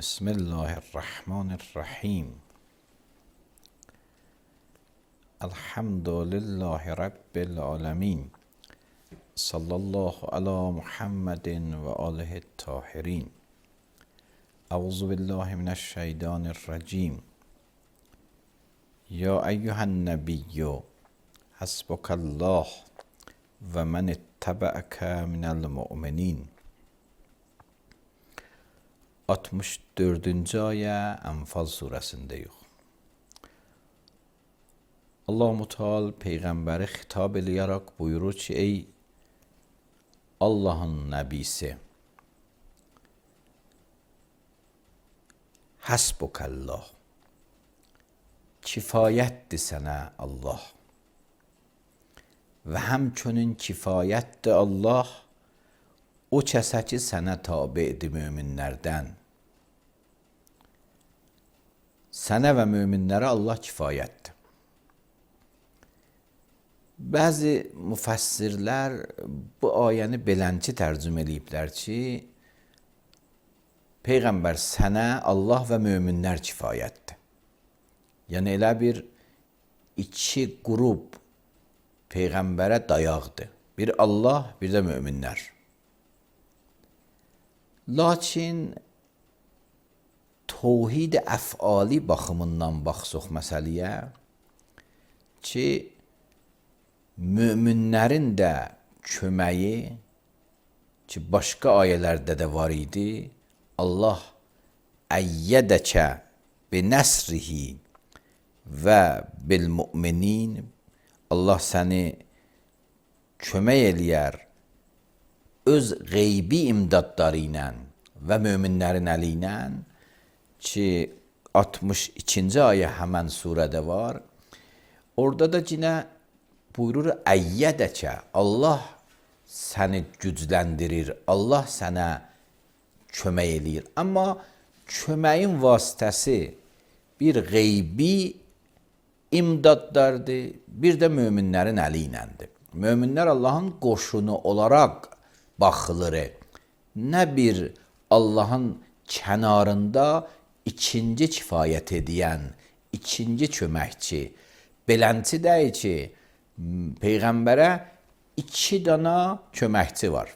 بسم الله الرحمن الرحیم. الحمد لله رب العالمین. صلی الله علی محمد و آله الطاهرین. اعوذ بالله من الشیطان الرجیم. یا ایها النبی حسبک الله و من اتبعک من المؤمنین. 64-cü ayə Ənfal surəsindəyik. Allah-u Teala Peyğəmbəri xitab eləyərək buyurur ki, ey Allahın nəbisi, Həsbukallah, kifayətdir sənə Allah və həmçinin kifayətdir Allah o kəsə ki, sənə tabi'dir möminlərdən. Sənə və möminlərə Allah kifayətdir. Bəzi müfəssirlər bu ayəni belənçi tərcümə eləyiblər ki, Peyğəmbər sənə Allah və möminlər kifayətdir. Yəni elə bir iki qrup Peyğəmbərə dayaqdır. Bir Allah, bir də möminlər. Lakin توحید əfali baxımından baxsaq məsələyə ki, möminlərin də köməyi ki, başqa ayələrdə də var idi. Allah əyyədəkə bi nəsrihi və bil müminin. Allah səni kömək eləyər öz qeybi imdadları ilə və möminlərin əli ilə ki 62-ci ayə həmən surədə var. Orada da yenə buyurur əyyədəkə, Allah səni gücləndirir, Allah sənə kömək eləyir. Amma köməyin vasitəsi bir qeybi imdadlardır, bir də möminlərin əli iləndir. Möminlər Allahın qoşunu olaraq baxılır. Nə bir Allahın kənarında ikinci kifayət edən, ikinci köməkçi. Belənçi deyil ki, Peyğəmbərə iki dana köməkçi var.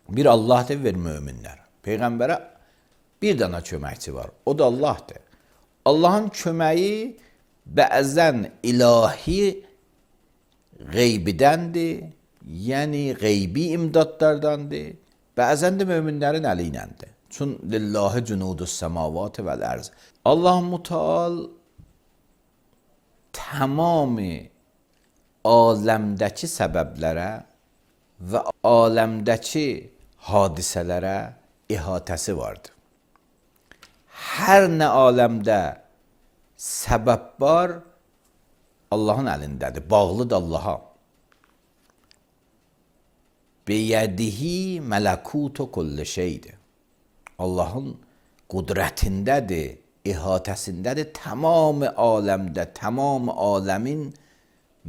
Bir Allahdır, bir möminlər. Peyğəmbərə bir dana köməkçi var, o da Allahdır. Allahın köməyi bəzən ilahi qeybidəndir, yəni qeybi imdadlardandır, bəzən də möminlərin əli iləndir. Çün lillahi cunudus semavat vəl ərz. Allah-u Teala tamamı aləmdəki səbəblərə və aləmdəki hadisələrə ihatəsi vardır. Hər nə aləmdə səbəb var, Allahın əlindədir, bağlıdır Allaha. Biyədihi mələkutu kulli şeydir. Allahın qudrətindədir, ihatəsindədir, tamamı aləmdə, tamamı aləmin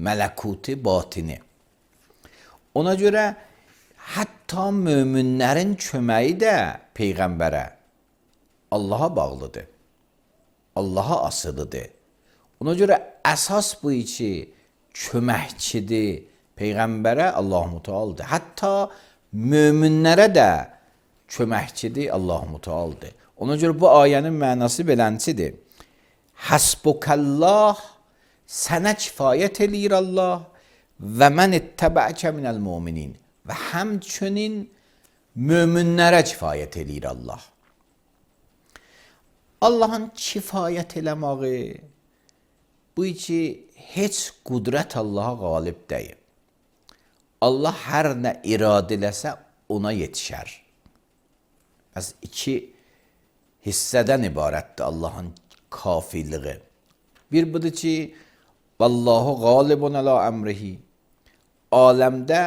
mələkuti batini. Ona görə hətta möminlərin köməyi də Peyğəmbərə Allaha bağlıdır, Allaha asılıdır. Ona görə əsas bu ki, köməkçidir Peyğəmbərə Allah-u Teala'dır. Hətta möminlərə də köməkçidir Allah-u Teala'dır. Ona görə bu ayənin mənası beləncidir. Həsbukallah, sənə kifayət eləyir Allah və mən ittəbəkə minəl müminin və həmçinin möminlərə kifayət eləyir Allah. Allahın kifayət eləməyi bu ki, heç qudrət Allaha qalib deyil. Allah hər nə iradə eləsə ona yetişər. Bəs iki hissədən ibarətdir Allahın kafiliği. Bir budur ki, Vallahu qalibun əla əmrihi. Aləmdə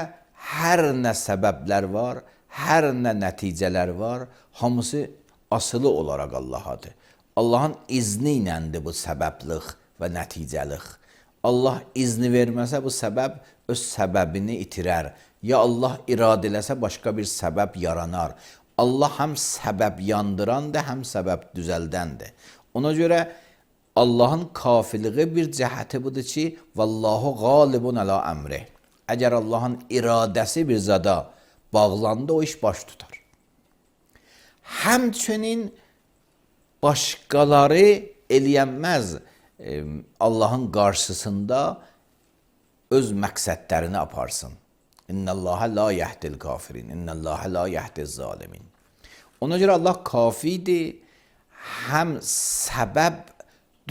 hər nə səbəblər var, hər nə nəticələr var, hamısı asılı olaraq Allahadır. Allahın izni iləndir bu səbəblik və nəticəlik. Allah izni verməsə bu səbəb öz səbəbini itirər. Ya Allah iradə eləsə başqa bir səbəb yaranar. Allah həm səbəb yandırandır, həm səbəb düzəldəndir. Ona görə Allahın kafiliği bir cəhəti budur ki, vallahu qalibun əla əmri. Əgər Allahın iradəsi bir zada bağlandı, o iş baş tutar. Həmçinin başqaları eləyənməz Allahın qarşısında öz məqsədlərini aparsın. İnnəllâhə la yəhdil kafirin, innəllâhə la yəhdiz zalimin. Ona görə Allah kafidir, həm səbəb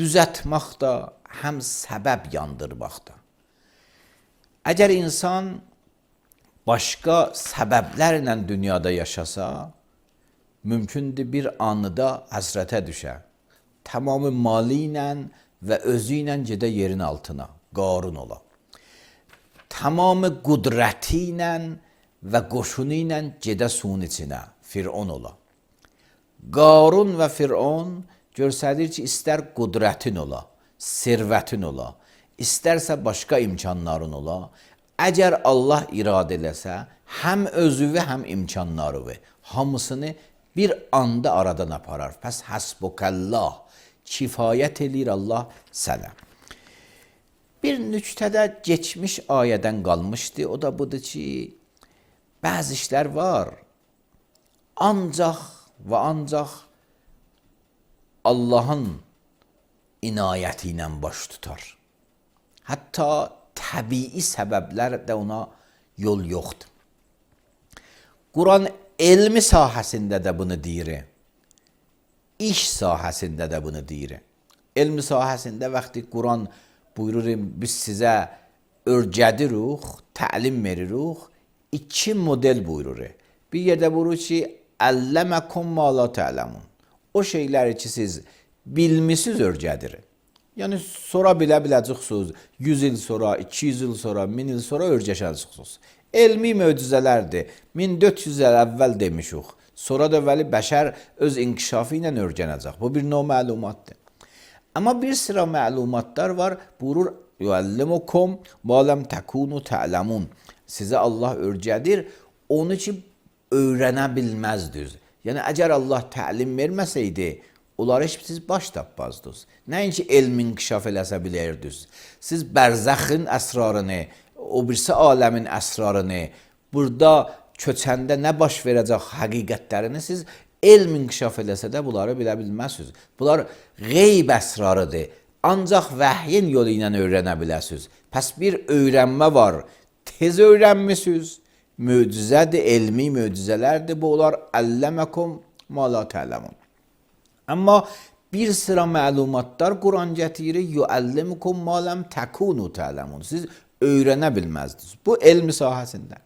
düzətməkdə, həm səbəb yandırmaqda. Əgər insan başqa səbəblərlə dünyada yaşasa, mümkündür bir anıda həsrətə düşə. Tamamı mali ilə və özü ilə gedə yerin altına, Qarun ola. Tamamı qudrəti ilə və qoşunu ilə gedə suyun içinə, Fir'on ola. Qarun və Fir'on göstərir ki, istər qudrətin ola, servətin ola, istərsə başqa imkanların ola. Əgər Allah iradə eləsə, həm özüvü, həm imkanlarıvı, hamısını bir anda aradan aparar. Pəs həsbukəllah, kifayət eləyir Allah sənə. Bir nüktədə geçmiş ayədən qalmışdı, o da budur ki, bəzi işlər var, ancaq və ancaq Allahın inayəti ilə baş tutar. Hətta təbii səbəblər də ona yol yoxdur. Quran elmi sahəsində də bunu deyir, iş sahəsində də bunu deyir. Elmi sahəsində vaxtı Quran buyurur, biz sizə örgədirik, təlim veririk, iki model buyurur. Bir yerdə buyurur ki, əlləməkum ma la tə'ləmun. O şeyləri ki, siz bilmisiniz örgədir. Yəni, sonra biləcəksiniz, 100 il sonra, 200 il sonra, 1000 il sonra örgəşəcəksiniz. Elmi möcüzələrdir. 1400 il əvvəl demişik. Sonra da vəli bəşər öz inkişafı ilə örgənəcək. Bu bir növ məlumatdır. Amma bir sıra məlumatlar var, buyurur, yuəllimukum ma lam takunu ta'lamun. Sizə Allah örgədir, onu ki, öyrənə bilməzdiniz. Yəni, əgər Allah təlim verməsəydi, onları heç siz baş tapmazdınız. Nəinki elm inkişaf eləsə bilirdiniz. Siz bərzəxin əsrarını, o birisi aləmin əsrarını, burada köçəndə nə baş verəcək həqiqətlərini siz elm inkişaf eləsə də bunları bilə bilməzsiniz. Bunlar qeyb əsrarıdır. Ancaq vəhyin yolu ilə öyrənə biləsiniz. Pəs bir öyrənmə var. Tez öyrənmisiniz. Möcüzədir, elmi möcüzələrdir. Bu olar əlləməkum ma la tə'ləmun. Amma bir sıra məlumatlar Quran gətirir. Yuəllimukum ma lam takunu tə'ləmun. Siz öyrənə bilməzdiniz. Bu elmi sahəsində.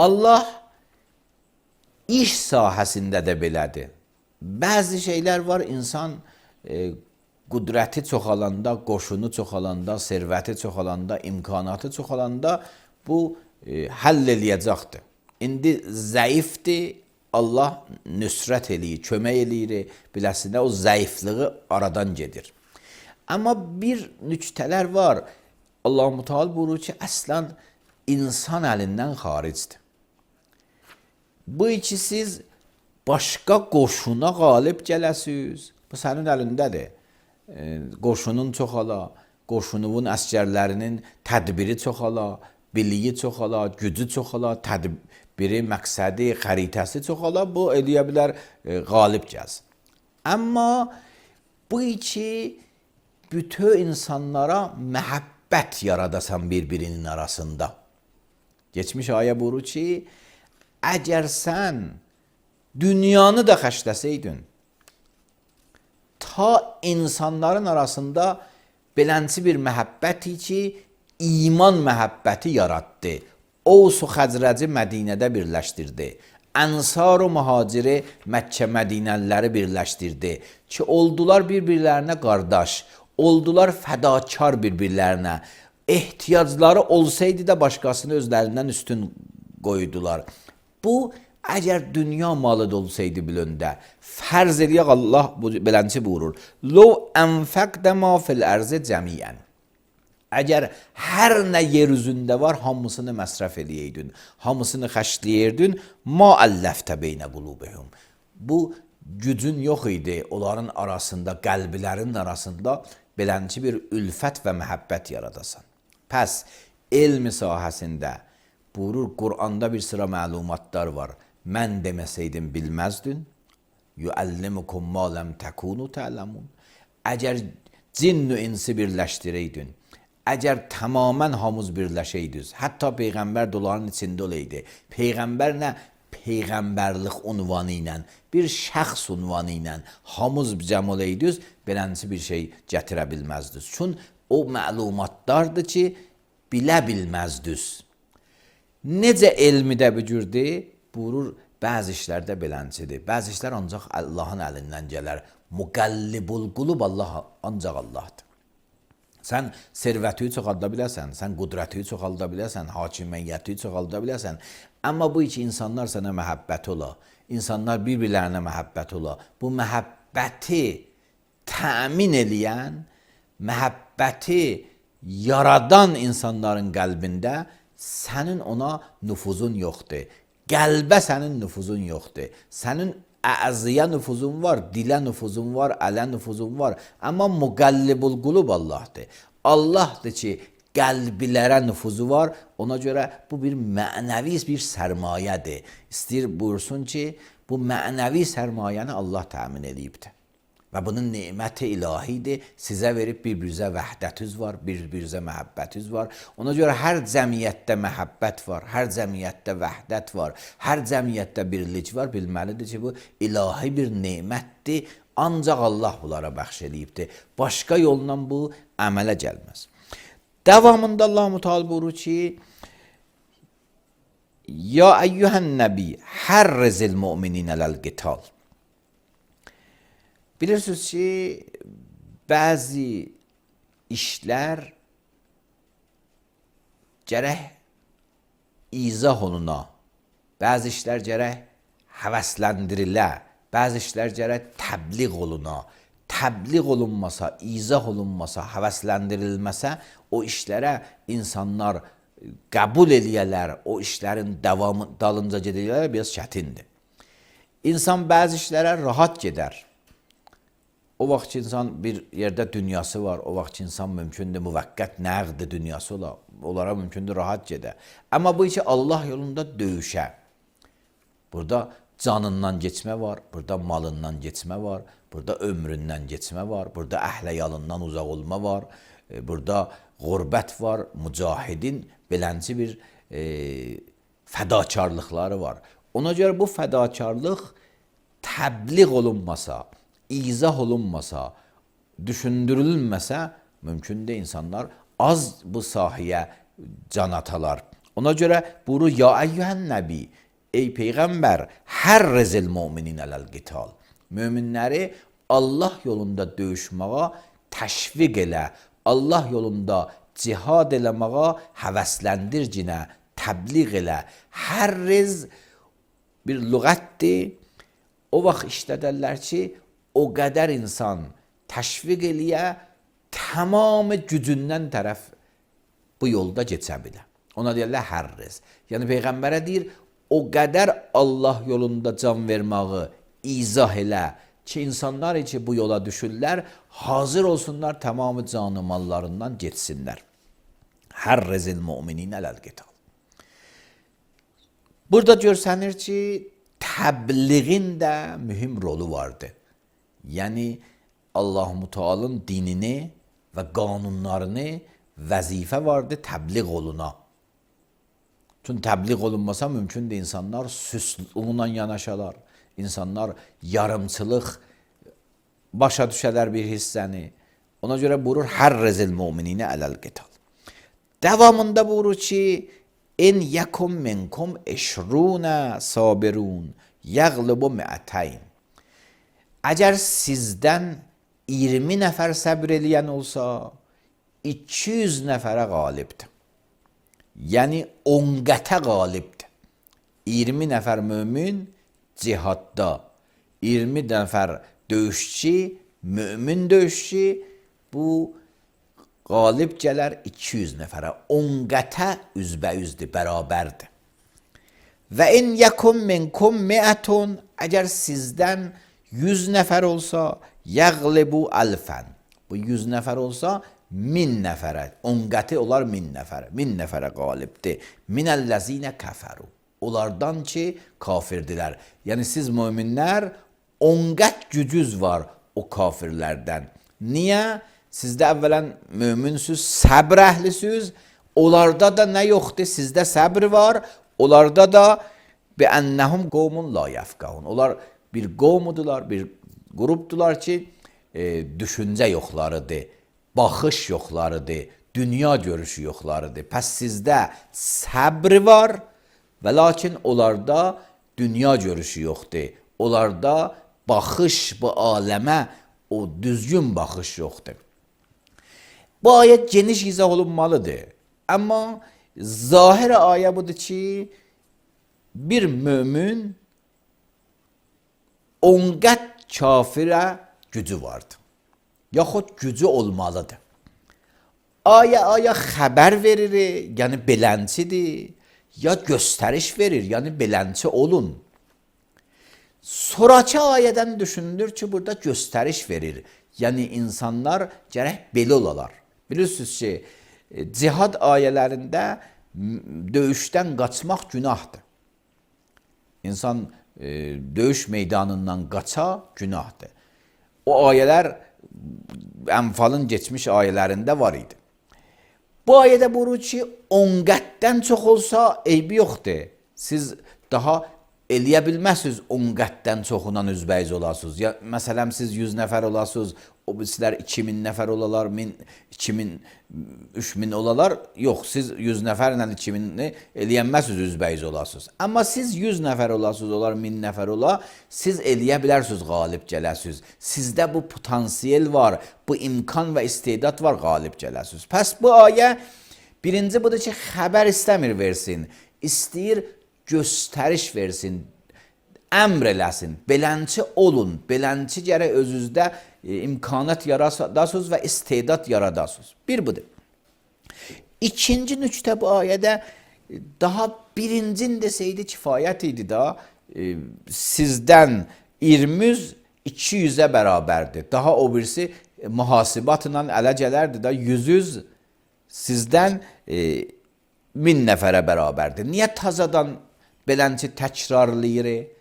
Allah iş sahəsində də belədir. Bəzi şeylər var, insan qudrəti çoxalanda, qoşunu çoxalanda, servəti çoxalanda, imkanatı çoxalanda bu həll eləyəcəkdir. İndi zəifdir, Allah nüsrət eləyir, kömək eləyir, biləsinə o zəifliği aradan gedir. Amma bir nüktələr var, Allah-u Teala buyurur ki, əslən insan əlindən xaricdir. Bu iki siz başqa qoşuna qalib gələsiniz. Bu sənin əlindədir. Qoşunun çoxala, qoşunun əsgərlərinin tədbiri çoxala, biliyi çoxala, gücü çoxala, tədbiri, məqsədi, xəritəsi çoxala, bu eləyə bilər qalib gəlsin. Amma bu ki bütün insanlara məhəbbət yaradasan bir-birinin arasında. Geçmiş ayə buyurur ki, əgər sən dünyanı da xərcləsəydin, ta insanların arasında belənçi bir məhəbbəti ki, iman məhəbbəti yaratdı. Ovs-u Xəzrəci Mədinədə birləşdirdi. Ənsar və Mühaciri Məkkə Mədinəliləri birləşdirdi ki, oldular bir-birlərinə qardaş, oldular fədakar bir-birlərinə. Ehtiyacları olsaydı da başqasını özlərindən üstün qoydular. Bu, əgər dünya malı da olsaydı bilöndə, fərz eləyək Allah belənçi buyurur. Lov ənfəqdə ma fil ərzə cəmiyyən. Əgər hər nə yer üzündə var, hamısını məsrəf eləyəydin, hamısını xərcləyirdin, ma əlləftə beynə qulubihum. Bu gücün yox idi onların arasında, qəlblərin arasında belənçi bir ülfət və məhəbbət yaradasan. Pəs, elmi sahəsində buyurur, Qur'anda bir sıra məlumatlar var. Mən deməsəydim bilməzdin. Yuəllimukum ma ləm təkunu tə'ləmun. Əgər cinn-ü insi birləşdirəydin, əgər tamamən hamız birləşəydiniz, hətta Peyğəmbər doların içində olaydı. Peyğəmbər nə? Peyğəmbərlik unvanı ilə, bir şəxs unvanı ilə hamız cəm olaydınız, belənçi bir şey gətirə bilməzdiniz. Çünki o məlumatlardır ki, bilə bilməzdiniz. Necə elmidə bücürdü? Buyurur, bəzi işlərdə belənçidir. Bəzi işlər ancaq Allahın əlindən gələr. Müqəllibul qulub Allah, ancaq Allahdır. Sən servəti çoxalda biləsən, sən qudrəti çoxalda biləsən, hakimiyyəti çoxalda biləsən. Amma bu iki insanlar sənə məhəbbət ola, insanlar bir-birlərinə məhəbbət ola. Bu məhəbbəti təmin eləyən, məhəbbəti yaradan insanların qəlbində sənin ona nüfuzun yoxdur. Qəlbə sənin nüfuzun yoxdur. Sənin əziyə nüfuzun var, dilə nüfuzun var, ələ nüfuzun var. Amma müqəllibul qulub Allahdır. Allahdır ki, qəlbilərə nüfuzu var. Ona görə bu bir mənəvi bir sərmayədir. İstəyir buyursun ki, bu mənəvi sərmayəni Allah təmin edibdir. Və bunun neməti ilahidir. Sizə verib bir-birinizə vəhdətiniz var, bir-birinizə məhəbbətiniz var. Ona görə hər cəmiyyətdə məhəbbət var, hər cəmiyyətdə vəhdət var, hər cəmiyyətdə birlik var. Bilməlidir ki, bu ilahi bir nemətdir. Ancaq Allah bunlara bəxş edibdir. Başqa yolla bu əmələ gəlməz. Davamında Allah Müteala buyurur ki, Ya əyyuhən nəbi, hərrizil müminə ləl-qital. Bilirsiniz ki, bəzi işlər gərək izah oluna, bəzi işlər gərək həvəsləndirilə, bəzi işlər gərək təbliğ oluna. Təbliğ olunmasa, izah olunmasa, həvəsləndirilməsə, o işlərə insanlar qəbul eləyələr, o işlərin davamı, dalınca gedələr biraz çətindir. İnsan bəzi işlərə rahat gedər. O vaxt ki, insan bir yerdə dünyası var, o vaxt ki, insan mümkündür, müvəqqət nəğd dünyası olar, onlara mümkündür rahat gedə. Amma bu ki, Allah yolunda döyüşə. Burada canından geçmə var, burada malından geçmə var, burada ömründən geçmə var, burada əhləyalından uzaq olma var, burada qurbət var, mücahidin belənci bir fədakarlıqları var. Ona görə bu fədakarlıq təbliğ olunmasa, izah olunmasa, düşündürülməsə, mümkün də insanlar az bu sahəyə can atalar. Ona görə buyurur, Ya əyyuhən nəbi, ey Peyğəmbər, hərrizil müminə ləl-qital. Möminləri Allah yolunda döyüşməyə təşviq elə, Allah yolunda cihad eləməyə həvəsləndircinə, təbliğ elə. Hərriz bir lüğətdir. O vaxt işlədərlər ki, o qədər insan təşviq eləyə, tamamı gücündən tərəf bu yolda geçə bilər. Ona deyirlər hərriz. Yəni Peyğəmbərə deyir, o qədər Allah yolunda can verməyi izah elə ki, insanlar ki bu yola düşürlər, hazır olsunlar tamamı canı mallarından geçsinlər. Hərrizil mu'minin ələl-qital. Burada görsənir ki, təbliğin də mühüm rolu vardır. Yəni Allah-u Teala'nın dinini və qanunlarını vəzifə vardır təbliğ oluna. Çünki təbliğ olunmasa mümkündür insanlar süslüğünlə yanaşalar. İnsanlar yarımçılıq başa düşələr bir hissəni. Ona görə buyurur hərrizil mu'mininə ələl-qital. Devamında buyurur ki en yekum minkum eşruna sabirun yaglibu mi'atayn. Əgər sizdən 20 nəfər səbr eləyən olsa 200 nəfərə qalibdir. Yəni 10 qətə qalibdir. 20 nəfər mömin cihadda, 20 nəfər döyüşçü, mömin döyüşçü bu qalib gələr 200 nəfərə. 10 qətə üzbəyüzdür, bərabərdir. Və in yekum minkum mi'atun, əgər sizdən 100 nəfər olsa yaglibu alfan. Bu 100 nəfər olsa 1000 nəfərə, 10 qəti olar 1000 nəfərə. 1000 nəfərə qalibdir. Minəl-ləzinə kəfəru. Onlardan ki kafirdirlər. Yəni siz möminlər 10 qət gücüz var o kafirlərdən. Niyə? Sizdə əvvələn möminsüz, səbr əhlisiniz. Onlarda da nə yoxdur? Sizdə səbr var. Onlarda da bi'annəhum qovmun la yəfqəhun. Onlar bir qovmudular, bir qrupdular ki, düşüncə yoxlarıdır, baxış yoxlarıdır, dünya görüşü yoxlarıdır. Pəs sizdə səbr var və lakin onlarda dünya görüşü yoxdur. Onlarda baxış bu aləmə, o düzgün baxış yoxdur. Bu ayət geniş izah olunmalıdır. Amma zahir ayə budur ki, bir mömin 10 qət kafirə gücü vardır. Yaxud gücü olmalıdır. Aya xəbər verir, yəni belənçidir, ya göstəriş verir, yəni belənçi olun. Sonraki ayədən düşünülür ki, burada göstəriş verir. Yəni insanlar gərək belə olalar. Bilirsiniz ki, cihad ayələrində döyüşdən qaçmaq günahdır. İnsan döyüş meydanından qaça günahdır. O ayələr Ənfalın geçmiş ayələrində var idi. Bu ayədə buyurur ki, 10 qətdən çox olsa eybi yoxdur. Siz daha eləyə bilməzsiniz 10 qətdən çoxundan üzbəyiz olasınız. Ya, məsələn, siz 100 nəfər olasınız, o birisilər 2000 nəfər olalar, 1000, 2000, 3000 olalar. Yox, siz 100 nəfərlə 2000-ni eləyənməzsiniz, üzbəyiz olasınız. Amma siz 100 nəfər olasınız, olar 1000 nəfər olar, siz eləyə bilərsiniz, qalib gələsiniz. Sizdə bu potansiyel var, bu imkan və istedad var, qalib gələsiniz. Pəs bu ayə birinci budur ki, xəbər istəmir versin, istəyir göstəriş versin, əmr eləsin, belənçi olun, belənçi gərək özünüzdə imkanat yaradasınız və istedad yaradasınız. Bir budur. İkinci nüqtə bu ayədə daha birincin deseydi kifayət idi da, sizdən 20-200-ə bərabərdir. Daha o birisi mühasibatla ələ gələrdi da, 100 sizdən 1000 nəfərə bərabərdir. Niyə tazadan belənçi təkrarlayır?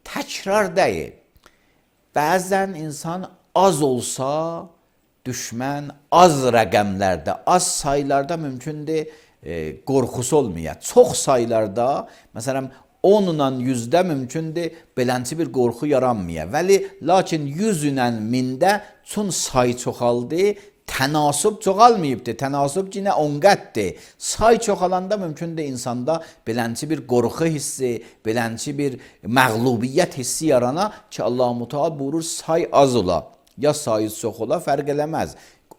Təkrar deyil. Bəzən insan az olsa, düşmən az rəqəmlərdə, az saylarda mümkündür qorxusu olmaya. Çox saylarda, məsələn 10-la 100-də mümkündür belənçi bir qorxu yaranmaya. Vəli, lakin 100-lə 1000-də çün say çoxaldı, tənasub çoxalmayıbdır. Tənasub yenə 10 qəddir. Say çoxalanda mümkündür insanda belənçi bir qorxu hissi, belənçi bir məğlubiyyət hissi yarana ki, Allah-u Teala buyurur, say az ola, ya sayız çox ola, fərq eləməz.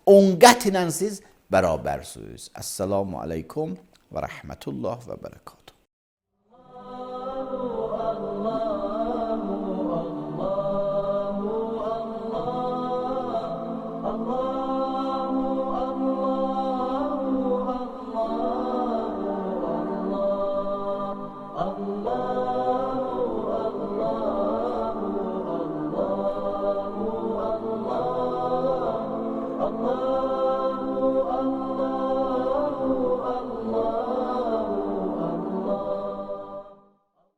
10 qət ilə siz bərabərsiniz. Əssalamu aleykum və rəhmətullah və bərəkət.